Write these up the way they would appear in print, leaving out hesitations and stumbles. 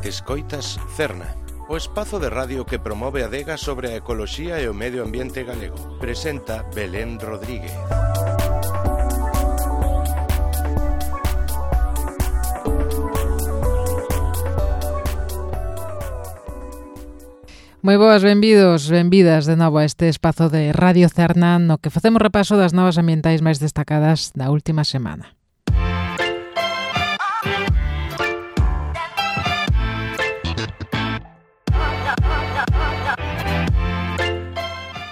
Escoitas Cerna, o espazo de radio que promove a adega sobre a ecoloxía e o medio ambiente galego. Presenta Belén Rodríguez. Moi boas, benvidos, benvidas de novo a este espazo de Radio Cerna no que facemos repaso das novas ambientais máis destacadas da última semana.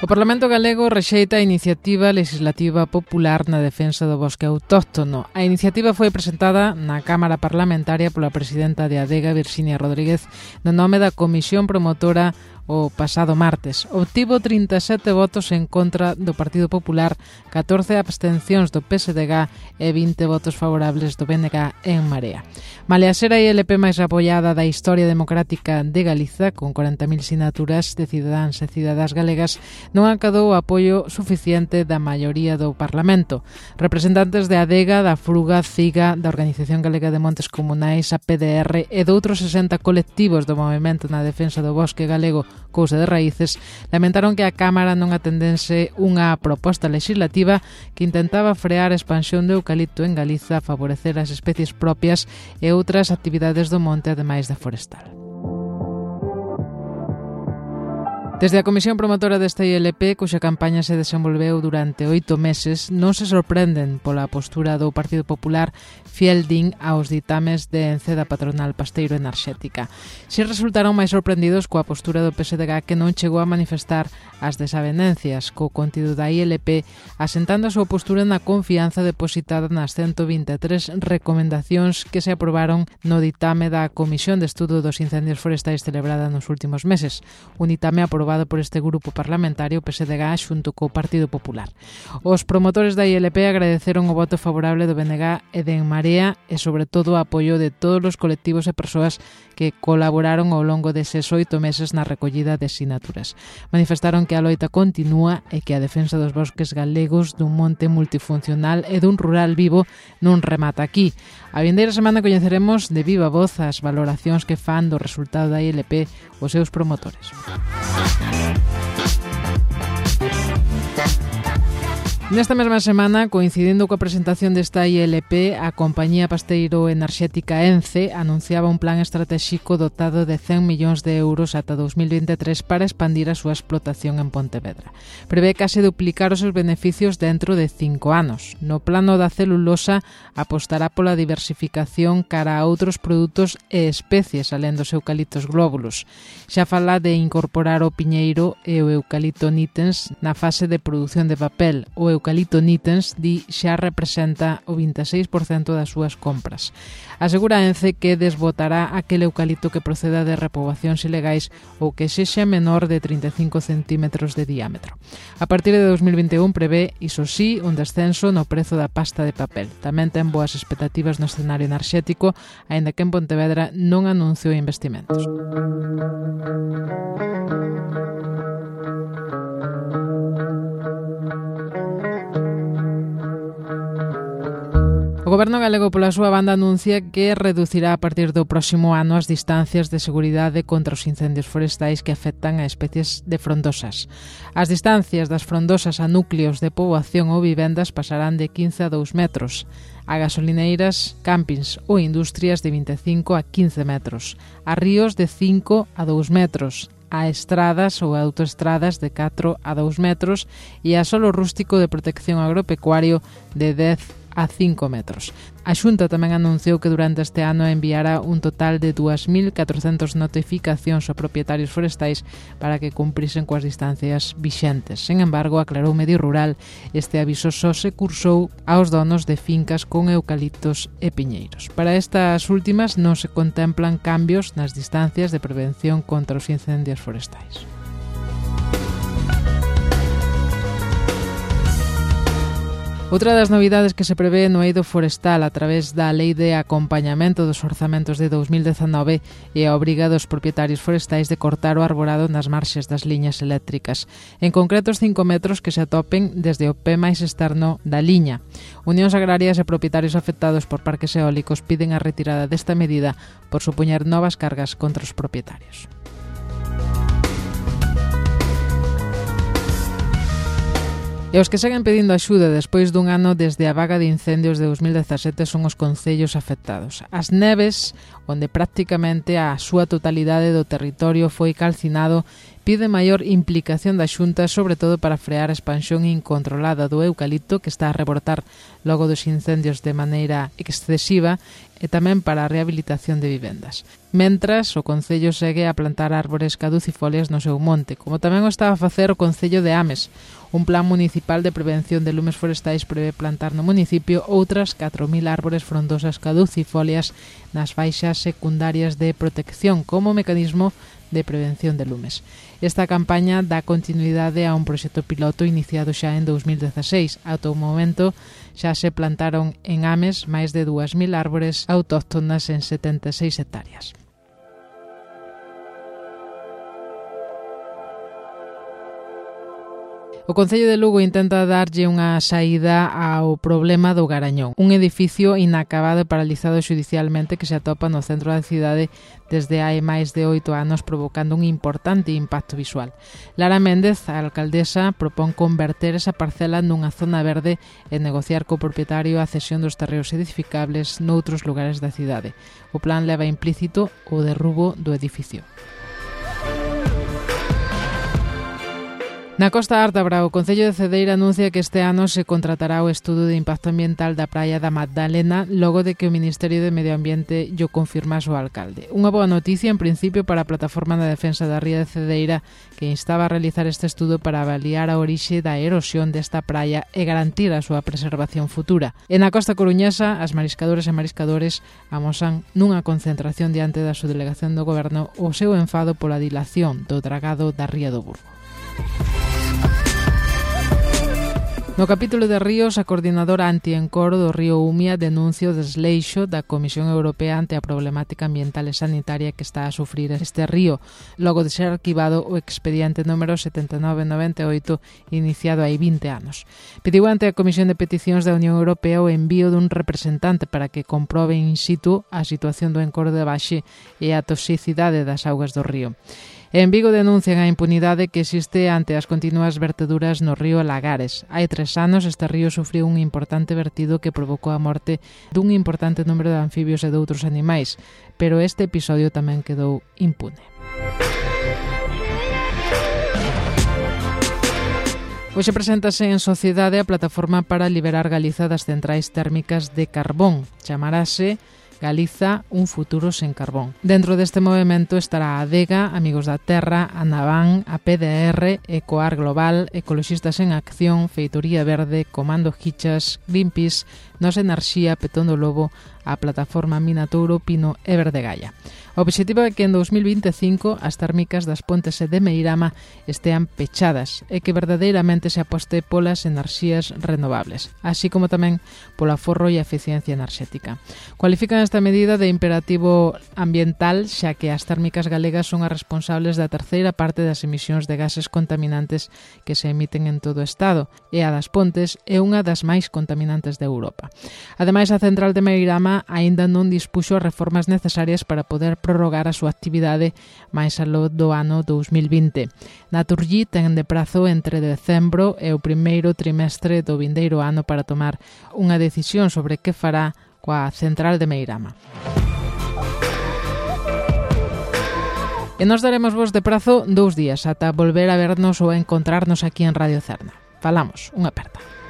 O Parlamento galego rexeita a iniciativa legislativa popular na defensa do bosque autóctono. A iniciativa foi presentada na Cámara Parlamentaria pola presidenta de Adega, Virxinia Rodríguez, no nome da Comisión Promotora o pasado martes. Obtivo 37 votos en contra do Partido Popular, 14 abstencións do PSDG e 20 votos favorables do BNG en Marea. Malia ser a ILP máis apoiada da historia democrática de Galiza, con 40.000 sinaturas de cidadáns e cidadás galegas, non acadou o apoio suficiente da maioría do Parlamento. Representantes de Adega, da Fruga, CIGA, da Organización Galega de Montes Comunais, a PDR e doutros 60 colectivos do movemento na defensa do bosque galego Cousa de Raíces, lamentaron que a Cámara non atendense unha proposta legislativa que intentaba frear a expansión do eucalipto en Galiza, favorecer as especies propias e outras actividades do monte ademais da forestal. Desde a Comisión Promotora desta ILP, cuxa campaña se desenvolveu durante 8 meses, non se sorprenden pola postura do Partido Popular fiel din aos ditames de Ence da patronal pasteiro enerxética. Si resultaron máis sorprendidos coa postura do PSDG, que non chegou a manifestar as desavenencias co contido da ILP, asentando a súa postura na confianza depositada nas 123 recomendacións que se aprobaron no ditame da Comisión de Estudo dos Incendios Forestais celebrada nos últimos meses, un ditame aprobado por este grupo parlamentario PSDG xunto co Partido Popular. Os promotores da ILP agradeceron o voto favorable do BNG e de En Marea e sobre todo o apoio de todos os colectivos e persoas que colaboraron ao longo deses 8 meses na recollida de sinaturas. Manifestaron que a loita continúa e que a defensa dos bosques galegos, dun monte multifuncional e dun rural vivo non remata aquí. A vindeira semana coñeceremos de viva voz as valoracións que fan do resultado da ILP os seus promotores. Nesta mesma semana, coincidindo coa presentación desta ILP, a compañía pasteiro enerxética Ence anunciaba un plan estratéxico dotado de 100 millóns de euros ata 2023 para expandir a súa explotación en Pontevedra. Prevé case duplicar os seus beneficios dentro de 5 anos. No plano da celulosa, apostará pola diversificación cara a outros produtos e especies, alén dos eucaliptos glóbulos. Xa fala de incorporar o piñeiro e o eucalipto nitens na fase de produción de papel. O eucalipto nitens xa representa o 26% das súas compras. Asegura Ence que desbotará aquel eucalipto que proceda de repoboacións ilegais ou que sexa menor de 35 centímetros de diámetro. A partir de 2021 prevé, iso sí, un descenso no prezo da pasta de papel. Tamén ten boas expectativas no escenario enerxético, aínda que en Pontevedra non anunciou investimentos. O Goberno galego, pola súa banda, anuncia que reducirá a partir do próximo ano as distancias de seguridade contra os incendios forestais que afectan a especies de frondosas. As distancias das frondosas a núcleos de poboación ou vivendas pasarán de 15 a 2 metros, a gasolineiras, campings ou industrias de 25 a 15 metros, a ríos de 5 a 2 metros, a estradas ou autoestradas de 4 a 2 metros e a solo rústico de protección agropecuario de 10 a 5 metros. A Xunta tamén anunciou que durante este ano enviará un total de 2.400 notificacións a propietarios forestais para que cumprisen coas distancias vixentes. Sen embargo, aclarou Medio Rural, este aviso só se cursou aos donos de fincas con eucaliptos e piñeiros. Para estas últimas non se contemplan cambios nas distancias de prevención contra os incendios forestais. Outra das novidades que se prevé no eido forestal a través da Lei de Acompañamento dos Orzamentos de 2019 é a obriga dos propietarios forestais de cortar o arborado nas marxes das liñas eléctricas, en concreto os 5 metros que se atopen desde o pé máis externo da liña. Unións agrarias e propietarios afectados por parques eólicos piden a retirada desta medida por supoñer novas cargas contra os propietarios. E os que seguen pedindo axuda despois dun ano desde a vaga de incendios de 2017 son os concellos afectados. As Neves, onde prácticamente a súa totalidade do territorio foi calcinado, pide maior implicación da Xunta, sobre todo para frear a expansión incontrolada do eucalipto que está a rebotar logo dos incendios de maneira excesiva e tamén para a rehabilitación de vivendas. Mentras, o Concello segue a plantar árbores caducifolias no seu monte, como tamén o está a facer o Concello de Ames. Un plan municipal de prevención de lumes forestais prevé plantar no municipio outras 4.000 árbores frondosas caducifolias nas faixas secundarias de protección como mecanismo de prevención de lumes. Esta campaña dá continuidade a un proxecto piloto iniciado xa en 2016. Ata o momento xa se plantaron en Ames máis de 2.000 árbores autóctonas en 76 hectáreas. O Concello de Lugo intenta darlle unha saída ao problema do Garañón, un edificio inacabado e paralizado xudicialmente que se atopa no centro da cidade desde hai máis de 8 anos, provocando un importante impacto visual. Lara Méndez, a alcaldesa, propón converter esa parcela nunha zona verde e negociar co propietario a cesión dos terreos edificables noutros lugares da cidade. O plan leva implícito o derrubo do edificio. Na Costa Ártabra, o Concello de Cedeira anuncia que este ano se contratará o estudo de impacto ambiental da praia da Magdalena logo de que o Ministerio de Medio Ambiente llo confirmase o alcalde. Unha boa noticia, en principio, para a Plataforma na Defensa da Ría de Cedeira, que instaba a realizar este estudo para avaliar a orixe da erosión desta praia e garantir a súa preservación futura. E na Costa Coruñesa, as mariscadoras e mariscadores amosan nunha concentración diante da subdelegación do Goberno o seu enfado pola dilación do dragado da Ría do Burgo. No capítulo de ríos, a coordinadora anti-encoro do río Umia denuncia o desleixo da Comisión Europea ante a problemática ambiental e sanitaria que está a sufrir este río, logo de ser arquivado o expediente número 7998 iniciado hai 20 anos. Pediu ante a Comisión de Peticións da Unión Europea o envío dun representante para que comprobe in situ a situación do encoro de Baxe e a toxicidade das augas do río. En Vigo denuncian a impunidade que existe ante as continuas verteduras no río Lagares. Hai 3 anos este río sufriu un importante vertido que provocou a morte dun importante número de anfibios e de outros animais, pero este episodio tamén quedou impune. Hoxe preséntase en sociedade a plataforma para liberar Galiza das centrais térmicas de carbón. Chamarase Galiza, un futuro sen carbón. Dentro deste movimento estará a Adega, Amigos da Terra, a Navan, a PDR, Ecoar Global, Ecoloxistas en Acción, Feitoría Verde, Comando Hichas, Greenpeace, Nos Enerxía, Petón do Lobo, a plataforma Minatouro, Pino e Verdegaia. O obxectivo é que en 2025 as térmicas das Pontes e de Meirama estean pechadas e que verdadeiramente se aposte polas enerxías renovables, así como tamén polo aforro e a eficiencia enerxética. Cualifican esta medida de imperativo ambiental, xa que as térmicas galegas son as responsables da terceira parte das emisións de gases contaminantes que se emiten en todo o Estado, e a das Pontes é unha das máis contaminantes de Europa. Ademais, a central de Meirama aínda non dispuxo as reformas necesarias para poder prorrogar a súa actividade máis aló do ano 2020. Naturgy ten de prazo entre decembro e o primeiro trimestre do vindeiro ano para tomar unha decisión sobre que fará coa central de Meirama. E nos daremos vos de prazo 2 días ata volver a vernos ou a encontrarnos aquí en Radio Cerna. Falamos, unha aperta.